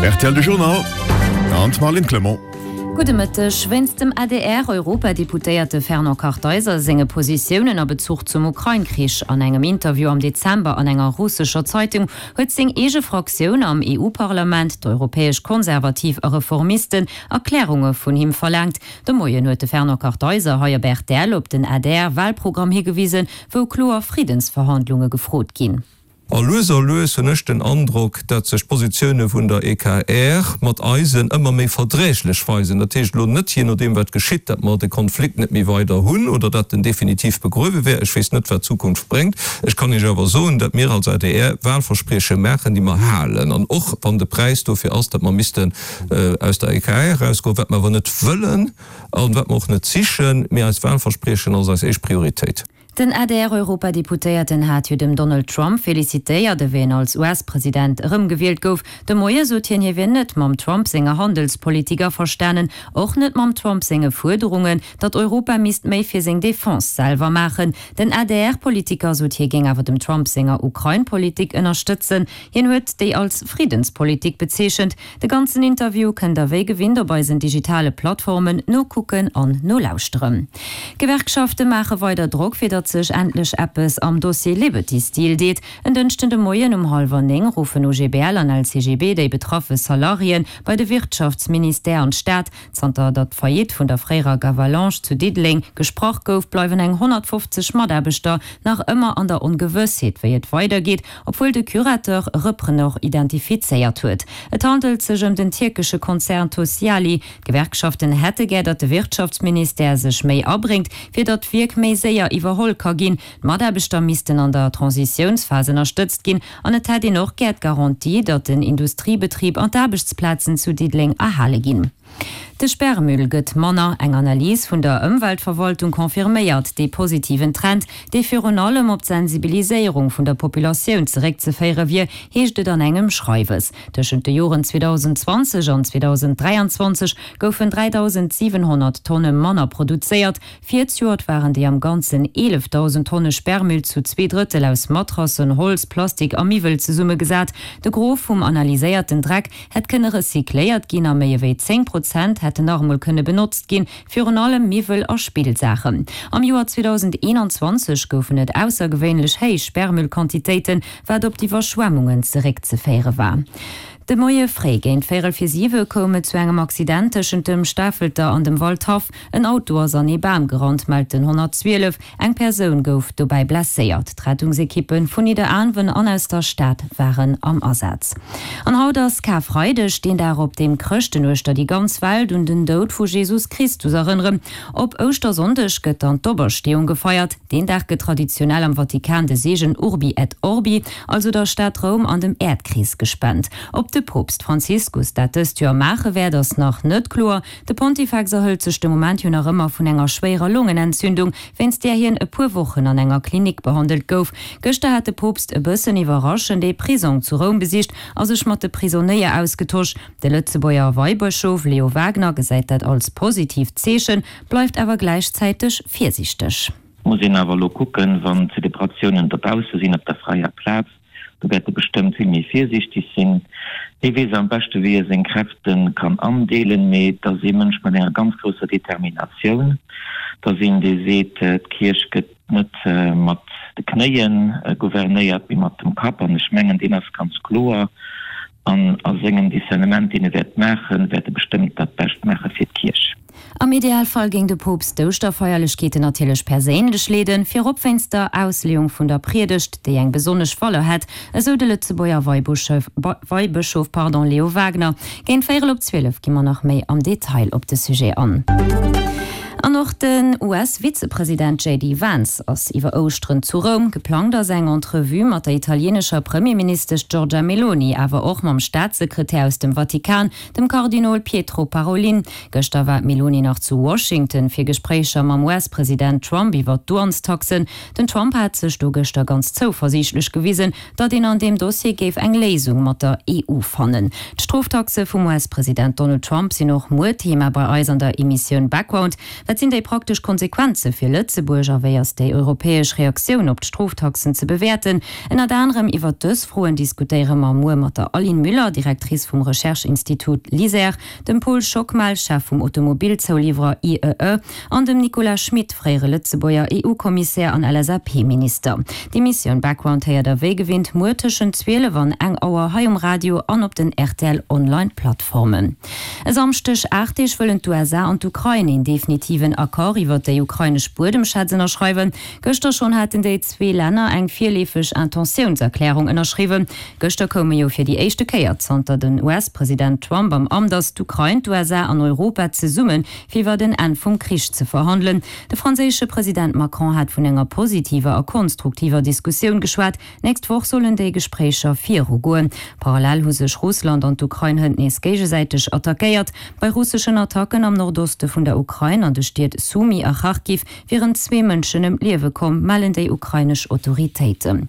Rtl De Journal an d'Marlène Clement. Gudde Mëtteg. Wéinst dem ADR-Europadeputéierte Fernand Kartheiser senge Positiounen a Bezuch zum Ukrain-Krich an engem Interview am Dezember an enger russescher Zeitung huet seng eege Fraktioun am EU-Parlament, d'Europäesch Konservativ a Reformisten, Erklärunge vun him verlaangt. De Moien huet de Fernand Kartheiser hei op rtl op den ADR-Walprogramm higewisen, wou kloer Friddensverhandlunge gefrot ginn. A lues a lues hunn ech den Androck, dat sech d'Positioune vun der EKR mat eisen ëmmer méi verdräglech weisen. Dat heescht elo net, jee nodeem wat geschitt, dat mer de Konflikt net méi weider hunn oder dat en definitiv begruewe wär. Ech weess net, wat d'Zukunft bréngt. Ech kann Iech awer soen, dat mir als adr Wahlversprieche maachen, déi mer halen. An och wann de Präis dofir ass, dat mer missten aus der EKR erausgoen, wat mer awer net wëllen an wat mer och net sichen, mee eist Wahlverspriechen ass eis éischt Prioritéit. Den ADR-Europadeputéierten hat jo dem Donald Trump felicitéiert, ewéi en als US-President erëmgewielt gouf. De Moie sot hien, hie wier net mam Trump senger Handelspolitik averstanen, och net mam Trump senge Fuerderungen, datt Europa misst méi fir seng Defense selwer maachen. Den ADR-Politiker sot, hie géing awer dem Trump senger Ukrain-Politik ënnerstëtzen. Hien huet déi als Friddenspolitik bezeechent. De ganzen Interview kënnt der wéi gewinnt op eisen digitale Plattformen nokucken an nolauschteren. D'Gewerkschafte maache weider Drock fir datt sech endlech eppes am Dossier Liberty Steel deet. En Dënschden de Moien um hallwer 9 ruffen OGBL an LCGB déi betraffe Salariéen bei de Wirtschaftsministère an d'Stad. Zanter datt d'Faillite vun der fréierer Gavalanche zu Diddeleng gesprach gouf, bleiwen eng 150 Mataarbechter nach ëmmer an der Ongewëssheet wéi et weidergeet. Obwuel de Curateur e Repreneur identifizéiert huet. Et handelt sech ëm den tierkesche Konzern Tosyali. D'Gewerkschaften hätte gär, datt de Wirtschaftsministère sech méi abréngt, fir datt d'Wierk méi séier iwwerholl ka ginn. D'Mataarbechter missten an der Transitiounsphas ënnerstëtzt ginn an et hätt een och gär d'Garantie, datt den Industriebetrib an d'Aarbechtsplazen zu Diddeleng erhale ginn. De Sperrmüll gëtt manner. Eng Analys vun der Ëmweltverwaltung confirméiert dee positiven Trend, dee virun allem op d'Sensibiliséierung vun der Populatioun zeréckzeféiere wier, heescht et an engem Schreiwes. Tëschent de Joren 2020 an 2023 goufen 3.700 Tonne manner produzéiert. Virzejoert waren déi am Ganzen 11.000 Tonne Sperrmüll zu zweedrëttel aus Matrassen, Holz, Plastik a Miwwel zesummegesat. De Gros vum analyséierten Dreck hätt kënne recycléiert ginn a méi ewéi 10 Prozent hätten nach emol kënne benotzt ginn, virun allem Miwwel a Spillsaachen. Am Joer 2021 goufen et aussergewéinlech héich Sperrmüllquantitéiten, wat op d'Iwwerschwemmungen zeréckzeféiere war. De Moie fréi géint véierel vir siwe koum et zu engem Accident tëschent dem Stafelter an dem Waldhaff. En Auto ass an ee Bam gerannt, mellt den 112. Eng Persoun gouf dobäi blesséiert. D'Rettungsekippe vun Nidderaanwen an aus der Stad waren am Asaz. An haut ass Karfreideg, deen Dag op deem Chrëschten uechter déi ganz Welt un den Doud vu Jesus Christus erënneren. Op Ouschtersonndeg gëtt dann d'Opersteeung gefeiert. Deen Dag gëtt traditionell am Vatikan de Seegen Urbi et Orbi, also der Stad Roum an dem Äerdkrees gespent. Ob de Poopst Franziskus dat dëst Joer maache wäert, ass nach net kloer. De Pontifex erhëlt sech de Moment jo nach ëmmer vun enger schwéierer Longenentzündung, wéinst där hien e puer Wochen an enger Klinik behandelt gouf. Gëschter hat de Poopst e bëssen iwwerraschend ee Prisong zu Roum besicht a sech mat de Prisonéier ausgetosch. De Lëtzebuerger Weibëschof Leo Wagner gesäit dat als positiivt Zeechen, bleift awer gläichzäiteg virsiichteg. Muss een awer elo kucken, wann d'Zelebratiounen dobausse sinn, op der fräier Plaz. Do wäert e bestëmmt vill méi virsiichteg sinn. Hie weess am beschte wéi e seng Kräfte kann andeelen, mee et ass ee Mënsch mat enger ganz grousser Determinatioun. Et ass een, dee seet, d'Kierch gëtt net mat de Knéie gouvernéiert, mee mat dem Kapp. An ech mengen, deen ass ganz kloer an a sengem Discernement, deen e wäert maachen, wäert e bestëmmt dat Bescht maache fir d'Kierch. Am Idealfall géing de Poopst d'Ouschterfeierlechkeeten natierlech perséinlech leeden, virop wéinst der Ausleeung vun der Priedegt, déi eng besonnesch Valeur hätt, esou de Lëtzebuerger Weibëschof Leo Wagner. Géint véierel op 12 gi mer nach méi am Detail op de Sujet an. An och den US-Vizepresident JD Vance ass iwwer Ouschteren zu Roum. Geplangt ass eng Entrevue mat der italieenescher Premierministesch Giorgia Meloni, awer och mam Staatssekretär aus dem Vatikan, dem Kardinol Pietro Parolin. Gëschter war d'Meloni nach zu Washington fir Gespréicher mam US-President Trump iwwer d'Douanestaxen. Den Trump hat sech do gëschter ganz zouversiichtlech gewisen, datt een an deem Dossier géif eng Léisung mat der EU fannen. D'Stroftaxe vum US-President Donald Trump sinn och muer Thema bei eis an der Emissioun Background. Wat sinn déi praktesch Konsequenze fir Lëtzebuerg a wéi ass déi europäesch Reaktioun op d'Stroftaxen ze bewäerten? Ënnert anerem iwwert dës Froen diskutéiere mer muer mat der Aline Müller, Directrice vum Recherche-Institut LISER, dem Paul Schockmel, Chef vum Automobilzouliwwerer IEE, an dem Nicolas Schmit, fréiere Lëtzebuerger EU-Kommissär an LSAP-Minister. D'Emissioun Background héiert der wéi gewinnt muer tëschent 12 an eng Auer hei um Radio an op den rtl Online Plattformen. E Samschdeg, 8 Deeg wëllen d'USA an d'Ukrain een definitiven Accord iwwert déi ukrainesch Buedemschätz ënnerschreiwen. Gëschter schonn haten déi zwee Länner eng virleefeg Intentiounserklärung ënnerschriwwen. Gëschter koume jo fir déi éischte Kéier zanter den US-President Trump am Amt ass, d'Ukrain, d'USA an Europa zesumme fir iwwert en Enn vum Krich ze verhandelen. De franséische President Macron hat vun enger positiver a konstruktiver Diskussioun geschwat. D'nächst Woch sollen déi Gespréicher viru goen. Parallel hu sech Russland an d'Ukrain hënt nees géigesäiteg attackéiert. Bei russeschen Attacken am Nordoste vun der Ukrain, an de Stied Sumy a Charkiw, wieren zwee Mënschen ëm d'Liewe komm, mellen déi ukrainesch Autoritéiten.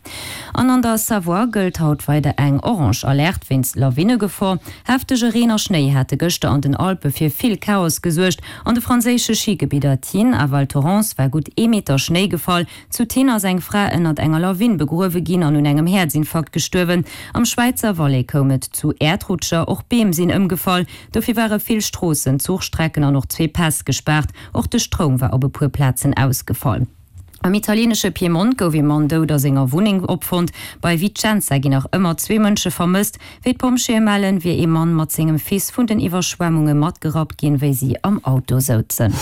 An an der Savoie gëllt haut weider eng orange Alerte wéinst Lawinnegefor. Heftege Reen a Schnéi hate gëschter an den Alpe fir vill Chaos gesuergt. An de franséische Schigebidder Tignes a Val Thorens war gutt ee Meter Schnéi gefall. Zu Tignes ass eng Fra ënnert enger Lawin begruewe ginn an un engem Häerzinfarkt gestuerwen. Am Schwäizer Valais koum et zu Äerdrutscher, och Beem sinn ëmgefall. Dofir ware vill Stroossen, Zuchstrecken an och zwee Päss gespaart. Och de Stroum war op e puer Plazen ausgefall. Am italienesche Piemont gouf ee Mann dout a senger Wunneng opfonnt. Bei Vicenza ginn nach ëmmer zwee Mënsche vermësst. Wéi d'Pompjeeë mellen, wier ee Mann mat sengem Fils vun den Iwwerschwemmunge matgerappt ginn, wéi si am Auto souzen.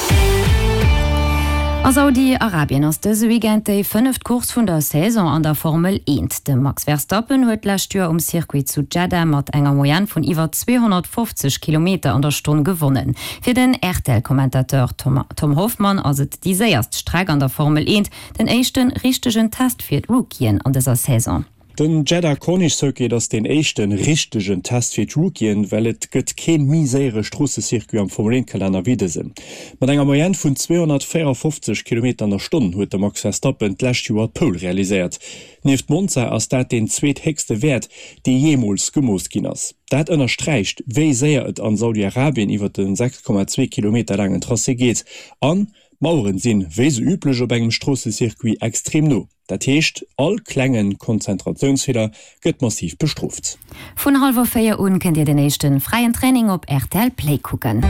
A Saudi-Arabien ass dëse Weekend déi fënneft Course vun der Saison an der Formel Eent. De Max Verstappen huet d'lescht Joer um Circuit zu Jeddah mat enger Moyenne vun iwwer 250 Kilometer an der Stonn gewonnen. Fir den RTL-Commentateur Tom Hoffmann ass et déi séierst Streck an der Formel Eent, den éischte richtegen Test fir d'Rookien an dëser Saison. Den Jeddah Corniche Circuit ass deen éischte richtegen Test fir d'Rookien, well et gëtt kee méi séiere Stroossecircuit am Formel 1 Kalenner wéi dësen. Mat enger Moyenne vun 254 Kilometer an der Stonn huet de Max Verstappen d'lescht Joer d'Pole realiséiert. Nieft Monza ass dat deen zweethéchste Wäert, dee jeemools gemooss ginn ass. Dat ënnersträicht, wéi séier et an Saudi-Arabien iwwer de 6,2 Kilometer laangen Tracé geet. An d'Maueren sinn, wéi sou üblech op engem Stroossecircuit, extrem no. Dat heescht, all klenge Konzentratiounsfeeler gëtt massiv bestrooft. Vun hallwer 4 un kënnt dir den éischten fräien Training op rtl Play kucken.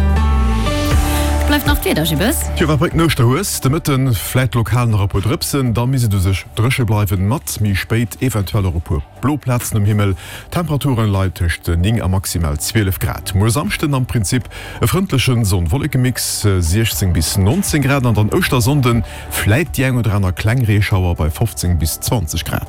Bleift nach d'Wieder, Jibbes. Tjo, wat bréngt den Ouschterhues? De Mëtten vläit lokal nach e puer Drëpsen, da misst et u sech dréche bleiwen, mat méi spéit eventuell och e puer blo Plazen um Himmel. D'Temperaturen leien tëscht 9 a maximal 12 Grad. Muer Samschden am Prinzip e frëndlechen Sonn-Wolleke-Mix, 16 bis 19 Grad, an dann Ouschtersonnden vläit déi eng oder aner kleng Reeschauer bei 15 bis 20 Grad.